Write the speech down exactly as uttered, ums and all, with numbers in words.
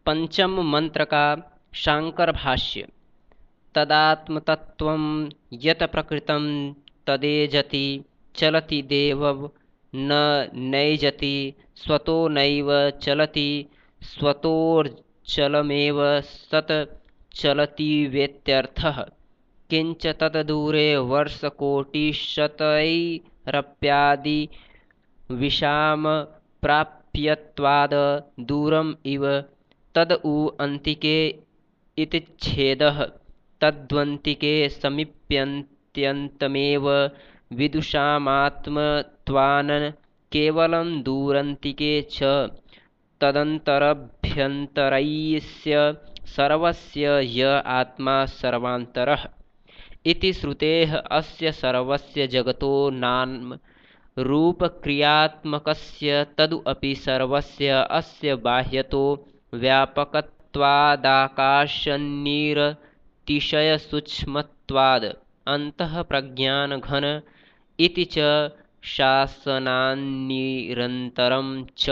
पंचम मंत्र का शांकर भाष्य। तदात्मतत्त्वं यत् प्रकृतं तदेजति चलति देवं न नैजति स्वतो नैव चलति स्वतोऽचलमेव सत् चलतीत्यर्थः। किंच तद्दूरे वर्षकोटिशतैरप्यादि विषामप्राप्यत्वाद् दूरम् इव तद् उ अन्तिके इति छेदः। तद्वन्तिके समीप्यन्त्यन्तमेव विदुषामात्मत्वान् केवलं दूरन्तिके च तदन्तरभ्यन्तरस्य सर्वस्य य आत्मा सर्वान्तरः इति श्रुतेः। अस्य सर्वस्य जगतो नाम रूपक्रियात्मकस्य तदु अपि सर्वस्य अस्य बाह्यतो व्यापकत्वादाकाशनिरतिशयसूक्ष्मत्वाद् अन्तःप्रज्ञानघन इति च शासनान्निरन्तरं च।